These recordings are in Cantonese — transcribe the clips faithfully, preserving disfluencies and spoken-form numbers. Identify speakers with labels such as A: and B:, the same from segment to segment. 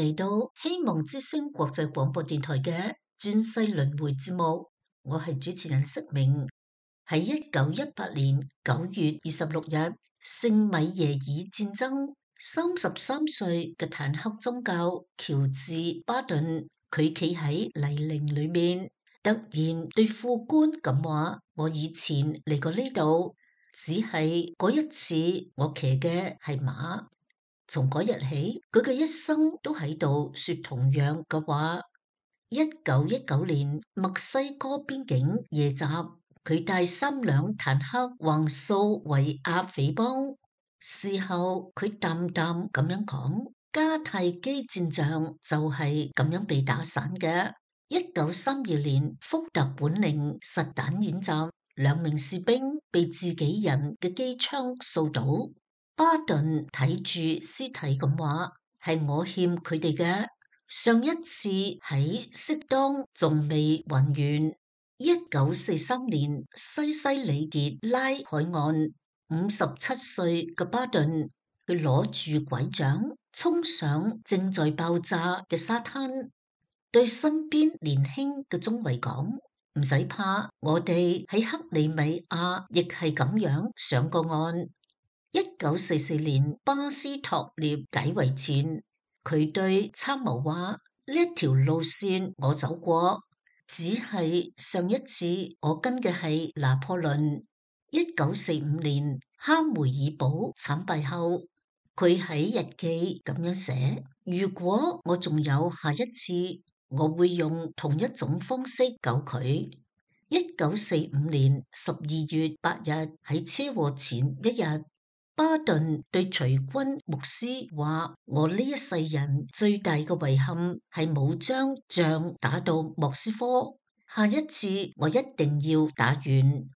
A: 嚟到希望之聲國際廣播電台嘅轉世輪迴節目，我係主持人釋明。喺一九一八年九月二十六日，聖米耶爾戰爭，三十三歲嘅坦克宗教喬治巴頓，佢企喺泥濘裏面，突然對副官咁話：我以前嚟過呢度，只係嗰一次我騎嘅係馬。從嗰日起，佢嘅一生都喺度說同樣嘅話。一九一九年墨西哥邊境夜襲，佢帶三輛坦克橫掃維亞匪幫。事後佢淡淡咁樣講：迦太基戰場就係咁樣被打散嘅。一九三二年福特本寧實彈演習，兩名士兵被自己人嘅機槍掃倒。巴頓睇住屍體咁話：係我欠佢哋嘅。上一次喺適當仲未還完。一九四三年西西里傑拉海岸，五十七歲嘅巴頓，佢攞住拐杖衝上正在爆炸嘅沙灘，對身邊年輕嘅中尉講：唔使怕，我哋喺克里米亞亦係咁樣上過岸。一九四四年巴斯托涅解圍前，佢對參謀話：呢一條路線我走過，只係上一次我跟嘅係拿破崙。一九四五年哈梅爾堡慘敗後，佢喺日記咁樣寫：如果我仲有下一次，我會用同一種方式救佢。一九四五年十二月八日喺車禍前一日，巴頓對隨軍牧師話：我呢一世人最大嘅遺憾係冇將仗打到莫斯科，下一次我一定要打完。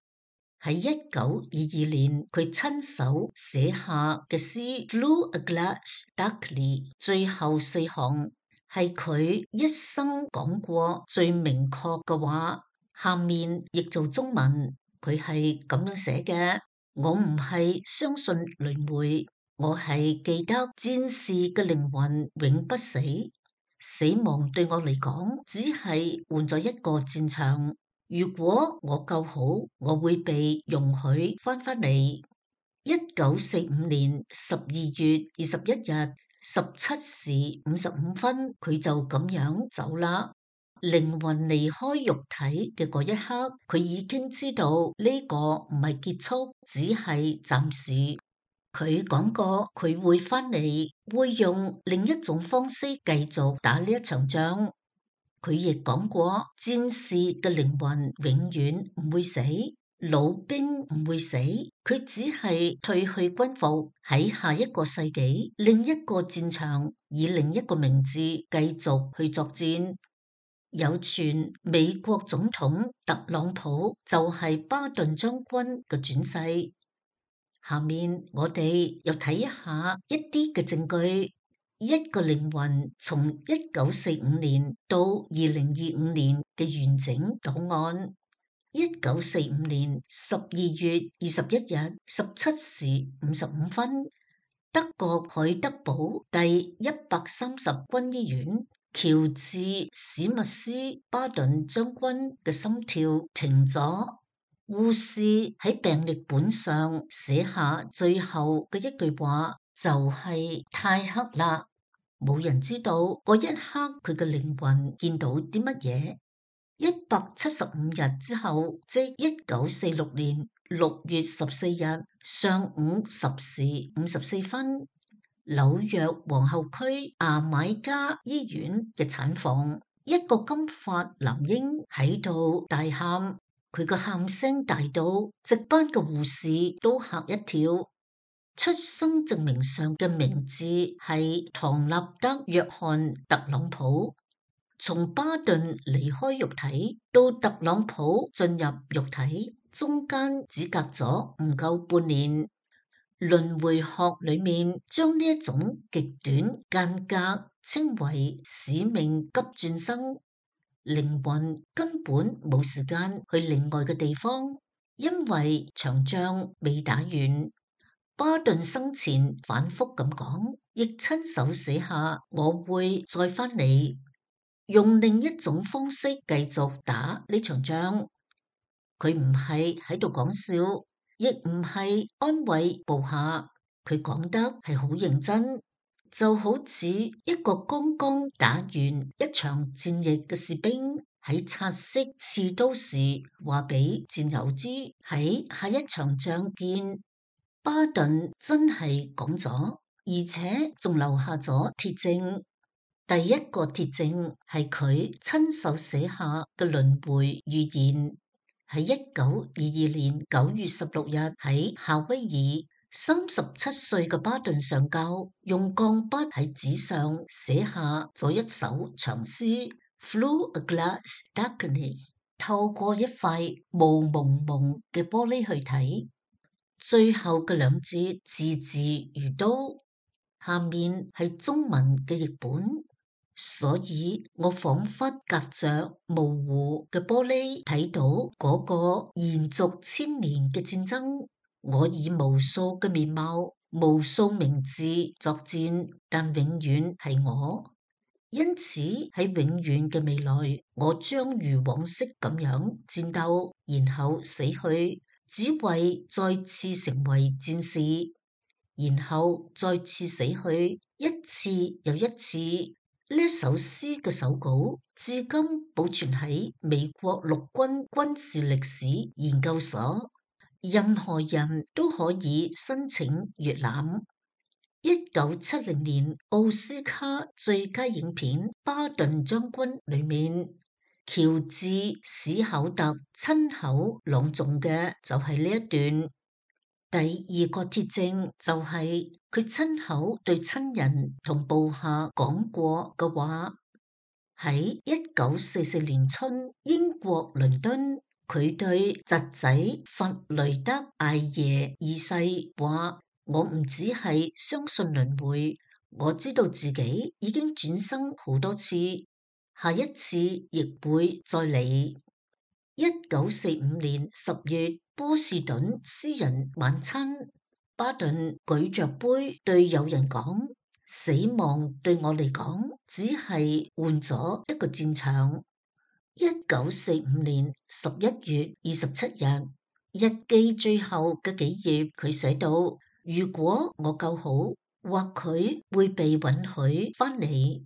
A: 喺一九二二年，佢親手寫下嘅詩《Through a Glass Darkly》最後四行係佢一生講過最明確嘅話。下面譯做中文，佢係咁樣寫嘅。我唔係相信輪迴，我係記得戰士嘅靈魂永不死。死亡對我嚟講，只係換咗一個戰場。如果我夠好，我會被容許翻返嚟。一九四五年十二月二十一日十七時五十五分，佢就咁樣走啦。靈魂離開肉體嘅嗰一刻，佢已經知道呢個唔係結束，只係暫時。佢講過佢會翻嚟，會用另一種方式繼續打呢一場仗。佢亦講過，戰士嘅靈魂永遠唔會死，老兵唔會死，佢只係褪去軍服，喺下一個世紀另一個戰場，以另一個名字繼續去作戰。有傳美國總統特朗普就係巴頓將軍嘅轉世。下面我哋又睇一下一啲嘅證據。一個靈魂從一九四五年到二零二五年嘅完整檔案。一九四五年十二月二十一日十七時五十五分，德國海德堡第一百三十軍醫院。喬治史密斯巴頓將軍嘅心跳停咗，護士喺病歷本上寫下最後嘅一句話，就係太黑啦，冇人知道嗰一刻佢嘅靈魂見到啲乜嘢。一百七十五日之後，即一九四六年六月十四日上午十時五十四分。紐約皇后區牙買加醫院嘅產房，一個金髮男嬰喺度大喊，佢個喊聲大到值班嘅護士都嚇一跳。出生證明上嘅名字係唐納德約翰特朗普。從巴頓離開肉體到特朗普進入肉體，中間只隔咗唔夠半年。輪迴學裏面將呢一種極短間隔稱為使命急轉生。靈魂根本冇時間去另外嘅地方，因為場仗未打完。巴頓生前反覆咁講，亦親手寫下我會再返嚟，用另一種方式繼續打呢場仗。佢唔係喺度講笑，亦唔係安慰部下，佢講得係好認真，就好似一個剛剛打完一場戰役嘅士兵喺察悉刺刀時話俾戰友知，喺下一場仗見。巴頓真係講咗，而且仲留下咗鐵證。第一個鐵證係佢親手寫下嘅輪迴預言，喺一九二二年九月十六日喺夏威夷，三十七歲嘅巴頓上校用鋼筆喺紙上寫下咗一首長詩 Through a glass darkly， 透過一塊霧蒙蒙嘅玻璃去睇。最後嘅兩節字字如刀，下面係中文嘅譯本，所以我仿佛隔着模糊嘅玻璃睇到嗰個延續千年嘅戰爭。我以無數嘅面貌、無數名字作戰，但永遠係我。因此喺永遠嘅未來，我將如往昔咁樣戰鬥，然後死去。只為再次成為戰士，然後再次死去，一次又一次。呢首詩嘅手稿至今保存喺美國陸軍軍事歷史研究所，任何人都可以申請閱覽。一九七零年奧斯卡最佳影片《巴頓將軍》裏面，喬治史考特親口朗誦嘅就係呢一段。第二個鐵證就係佢親口對親人同部下講過嘅話。喺一九四四年春，英國倫敦，佢對侄仔弗雷德艾耶二世話：我唔只係相信輪迴，我知道自己已經轉生好多次。下一次亦會再嚟。一九四五年十月，波士頓私人晚餐，巴頓舉着杯對友人講：死亡對我嚟講，只係換咗一個戰場。一九四五年十一月二十七日，日記最後嘅幾頁，佢寫到：如果我夠好，或許會被允許返嚟。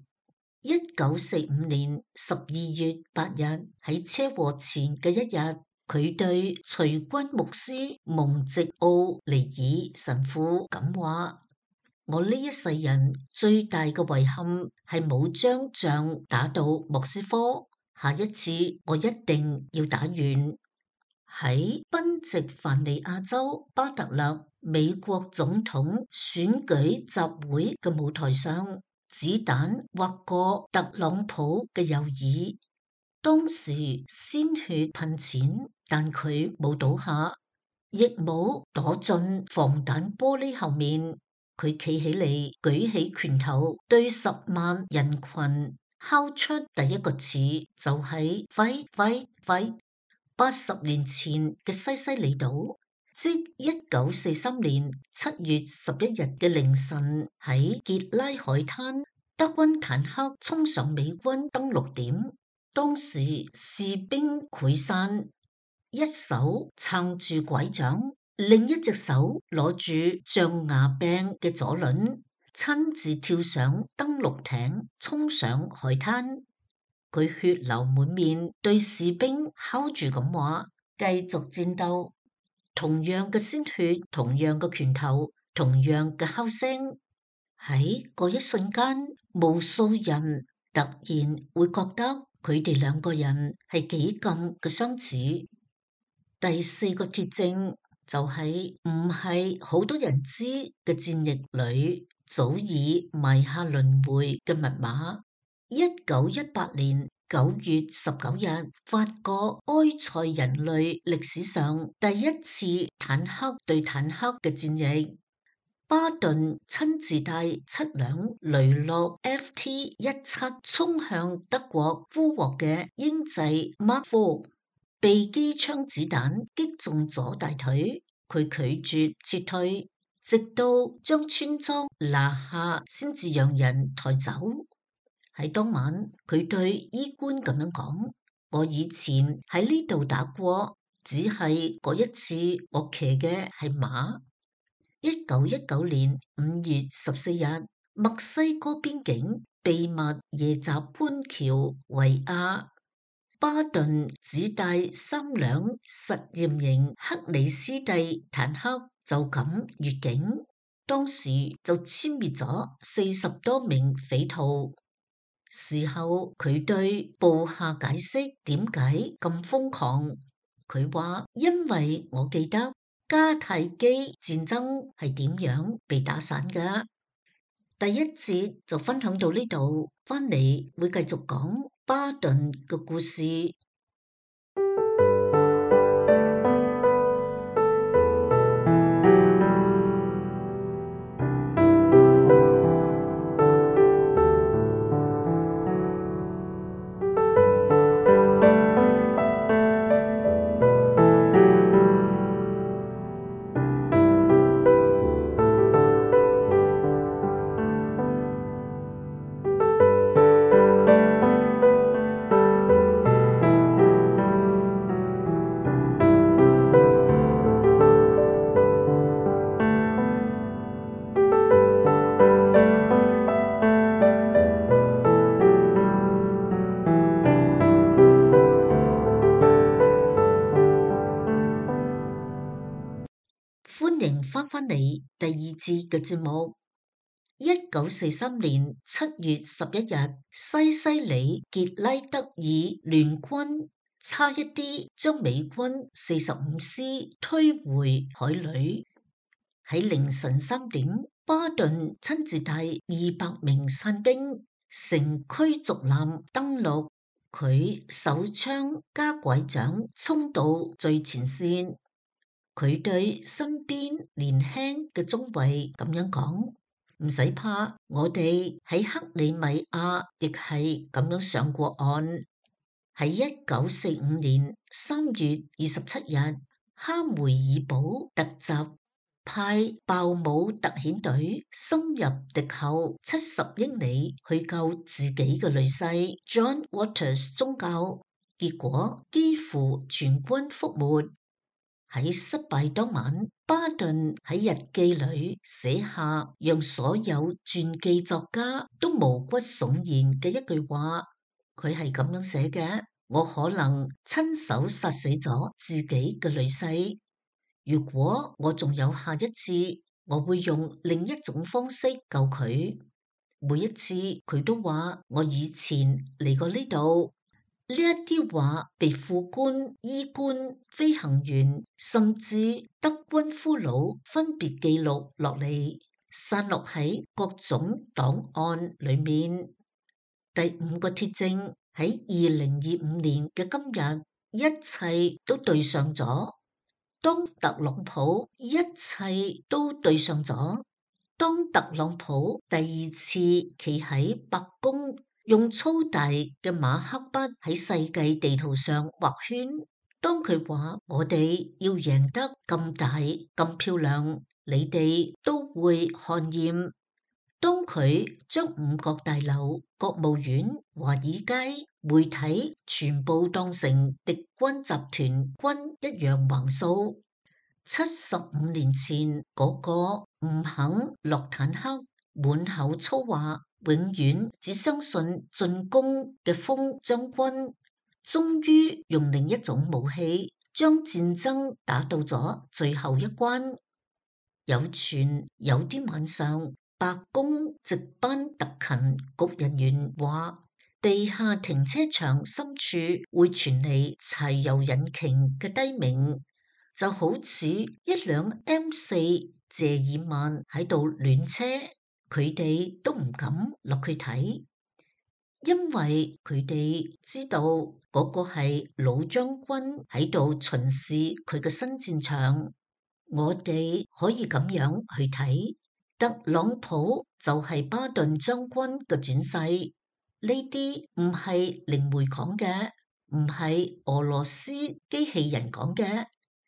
A: 一九四五年十二月八日，喺車禍前嘅一日，佢對隨軍牧師蒙直奧尼爾神父咁話：我呢一世人最大嘅遺憾係冇將仗打到莫斯科，下一次我一定要打完。喺賓夕凡尼亞州巴特勒美國總統選舉集會嘅舞台上，子彈劃過特朗普嘅右耳，當時鮮血噴濺，但佢冇倒下，亦冇躲進防彈玻璃後面。佢企起嚟，舉起拳頭，對十萬人群敲出第一個詞，就係 fight fight fight。八十年前嘅西西里島，即一九四三年七月十一日嘅凌晨，喺傑拉海灘，德軍坦克衝上美軍登陸點，當時士兵潰散，一手撐住拐杖，另一隻手攞住象牙柄嘅左輪，親自跳上登陸艇，衝上海灘。佢血流滿面，對士兵敲住咁話：繼續戰鬥。同樣嘅鮮血，同樣嘅拳頭，同樣嘅敲聲。喺嗰一瞬間，無數人突然會覺得佢哋兩個人係幾咁嘅相似。第四個鐵證就係唔係好多人知嘅戰役裏早已埋下輪迴嘅密碼。一九一八年九月十九日，法國埃塞人類歷史上第一次坦克對坦克嘅戰役，巴頓親自帶七輛雷諾 F T 一七衝向德國俘獲嘅英製 Mark 四，被機槍子彈擊中咗大腿，佢拒絕撤退。直到將村莊拿下，先至讓人抬走。喺當晚，佢對醫官咁樣講：我以前喺呢度打過，只係嗰一次我騎嘅係馬。一九一九年五月十四日，墨西哥邊境秘密夜襲潘喬維亞，巴頓只帶三輛實驗型克里斯蒂坦克就咁越境，當時就殲滅咗四十多名匪徒。事後佢對部下解釋點解咁瘋狂，佢話因為我記得迦太基戰爭係點樣被打散㗎。第一節就分享到呢度，翻嚟會繼續講巴頓嘅故事。歡迎翻返嚟第二節嘅節目。一九四三年七月十一日，西西里傑拉德爾聯軍差一啲將美軍四十五師推回海裏。喺凌晨三點，巴頓親自帶二百名傘兵乘驅逐艦登陸，佢手槍加拐杖衝到最前線。佢對身邊年輕嘅中尉咁樣講：唔使怕，我哋喺克里米亞亦係咁樣上過岸。喺一九四五年三月二十七日，哈梅爾堡突襲，派鮑姆特遣隊深入敵後七十英里去救自己嘅女婿 John Waters 宗教，結果幾乎全軍覆沒。喺失敗當晚，巴頓喺日記裏寫下讓所有傳記作家都毛骨悚然嘅一句話。佢係咁樣寫嘅：我可能親手殺死咗自己嘅女婿，如果我仲有下一次，我會用另一種方式救佢。每一次佢都話我以前嚟過呢度。呢一啲話被副官、醫官、飛行員甚至德軍俘虜分別記錄落嚟，散落喺各種檔案裏面。第五個鐵證，喺二零二五年嘅今日，一切都對上咗。當特朗普一切都對上咗。當特朗普第二次企喺白宮，用粗大嘅馬克筆喺世界地圖上畫圈。當佢話我哋要贏得咁大咁漂亮，你哋都會看厭。當佢將五角大樓、國務院、華爾街、媒體全部當成敵軍集團軍一樣橫掃。七十五年前嗰個唔肯落坦克、滿口粗話、永遠只相信進攻嘅瘋將軍，終於用另一種武器將戰爭打到咗最後一關。有傳有啲晚上，白宮值班特勤局人員話，地下停車場深處會傳嚟柴油引擎嘅低鳴，就好似一輛 M 四 謝爾曼喺度暖車，佢哋都唔敢落去睇，因為佢哋知道嗰個係老將軍喺度巡視佢嘅新戰場。我哋可以咁樣去睇，特朗普就係巴頓將軍嘅轉世。呢啲唔係靈媒講嘅，唔係俄羅斯機器人講嘅。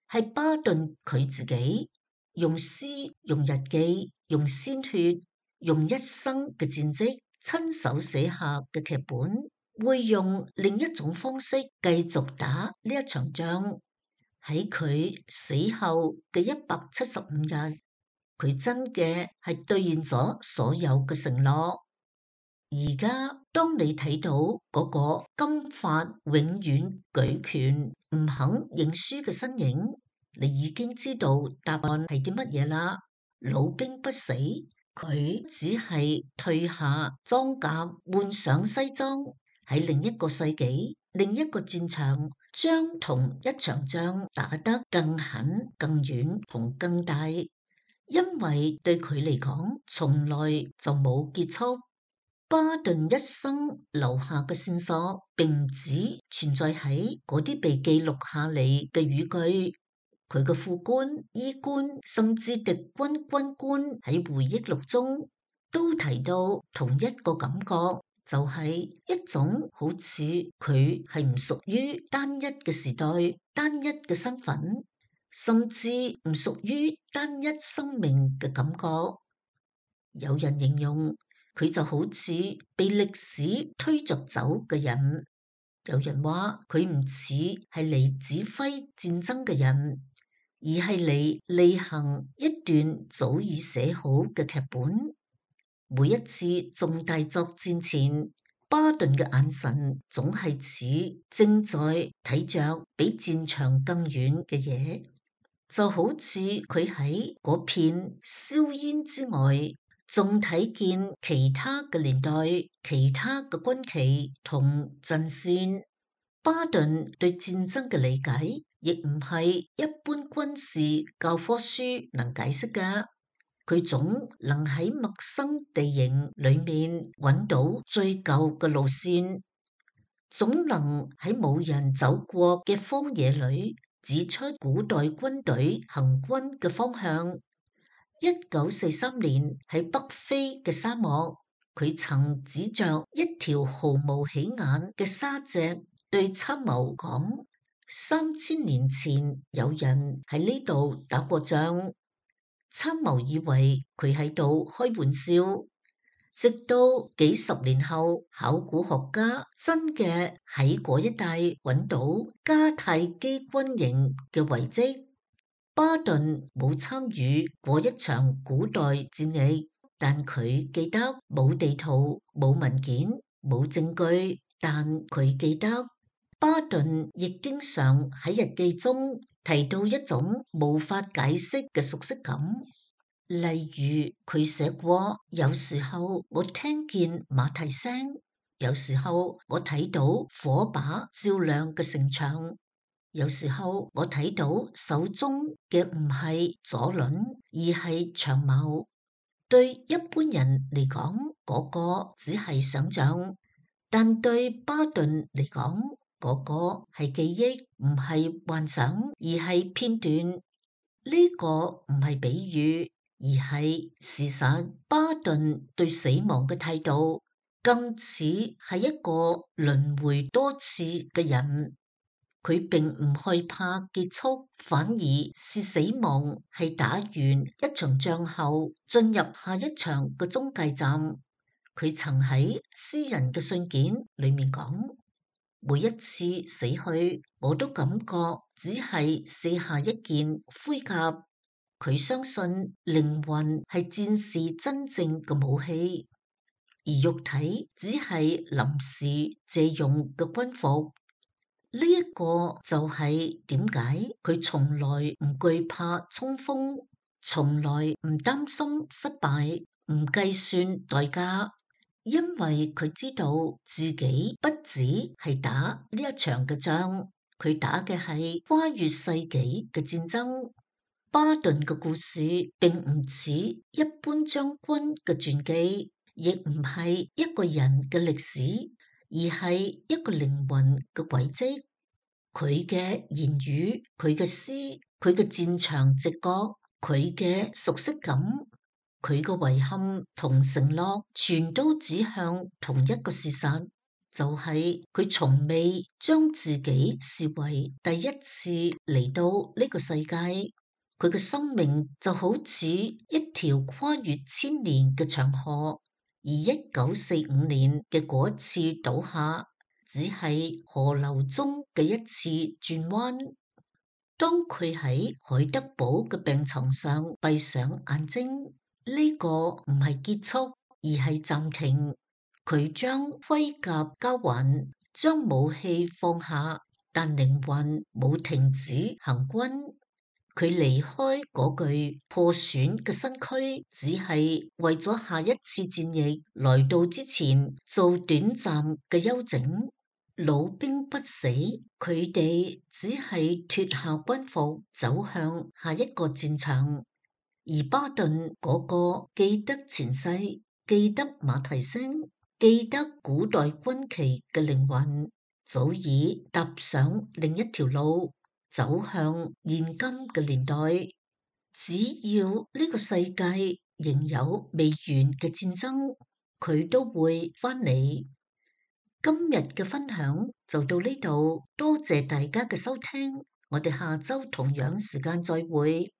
A: 係巴頓佢自己，用詩、用日記、用鮮血、用一生嘅戰績親手寫下嘅劇本，會用另一種方式繼續打呢一場仗。喺佢死後嘅一百七十五日，佢真嘅係兌現咗所有嘅承諾。而家當你睇到嗰個金髮永遠舉拳唔肯認輸嘅身影，你已經知道答案係啲乜嘢啦。老兵不死，佢只係退下裝甲，換上西裝，喺另一個世紀、另一個戰場，將同一場仗打得更狠、更遠同更大。因為對佢嚟講，從來就冇結束。巴頓一生留下嘅線索，並唔止存在喺嗰啲被記錄下嚟嘅語句。佢嘅副官、醫官，甚至敵軍軍官喺回憶錄中都提到同一個感覺，就係一種好似佢係唔屬於單一嘅時代、單一嘅身份，甚至唔屬於單一生命嘅感覺。有人形容佢就好似被歷史推着走嘅人，有人話佢唔似係嚟指揮戰爭嘅人，而係嚟履行一段早已寫好嘅劇本。每一次重大作戰前，巴頓嘅眼神總係似正在睇着比戰場更遠嘅嘢，就好似佢喺嗰片硝煙之外，仲睇見其他嘅年代、其他嘅軍旗同陣線。巴頓對戰爭嘅理解，亦唔係一般軍事教科書能解釋嘅。佢總能喺陌生地形裏面揾到最舊嘅路線，總能喺冇人走過嘅荒野裏指出古代軍隊行軍嘅方向。一九四三年喺北非嘅沙漠，佢曾指着一條毫無起眼嘅沙脊對參謀講：三千年前有人喺呢度打過仗。參謀以為佢喺度開玩笑，直到幾十年後，考古學家真嘅喺嗰一帶揾到迦太基軍營嘅遺跡。巴頓冇參與過一場古代戰役，但佢記得冇地圖、冇文件、冇證據，但佢記得巴頓亦經常喺日記中提到一種無法解釋嘅熟悉感。例如佢寫過，有時候我聽見馬蹄聲，有時候我睇到火把照亮嘅城牆，有時候我睇到手中嘅唔係左輪，而係長矛。對一般人嚟講，嗰個只係想象，但對巴頓嚟講，嗰個係記憶，唔係幻想，而係片段。呢個唔係比喻，而係事實。巴頓對死亡嘅態度，更似係一個輪迴多次嘅人。佢並唔害怕結束，反而是死亡係打完一場仗後進入下一場嘅中繼站。佢曾喺私人嘅信件裏面講：每一次死去，我都感覺只係卸下一件盔甲。佢相信靈魂係戰士真正嘅武器，而肉體只係臨時借用嘅軍服。呢一個就係點解佢從來唔懼怕衝鋒，從來唔擔心失敗，唔計算代價，因為佢知道自己不止係打呢一場嘅仗，佢打嘅係跨越世紀嘅戰爭。巴頓嘅故事並唔似一般將軍嘅傳記，亦唔係一個人嘅歷史，而係一個靈魂嘅軌跡。佢嘅言語、佢嘅詩、佢嘅戰場直覺、佢嘅熟悉感、佢嘅遺憾同承諾，全都指向同一個事實，就係佢從未將自己視為第一次嚟到呢個世界。佢嘅生命就好似一條跨越千年嘅長河，而一九四五年嘅嗰一次倒下，只係河流中嘅一次轉彎。當佢喺海德堡嘅病床上閉上眼睛，呢個唔係結束，而係暫停。佢將盔甲交還，將武器放下，但靈魂冇停止行軍。佢離開嗰具破損嘅身軀，只係為咗下一次戰役來到之前做短暫嘅休整。老兵不死，佢哋只係脫下軍服，走向下一個戰場。而巴頓嗰個記得前世、記得馬蹄聲、記得古代軍旗嘅靈魂，早已踏上另一條路，走向現今嘅年代。只要呢個世界仍有未完嘅戰爭，佢都會翻嚟。今日嘅分享就到呢度，多謝大家嘅收聽，我哋下周同樣時間再會。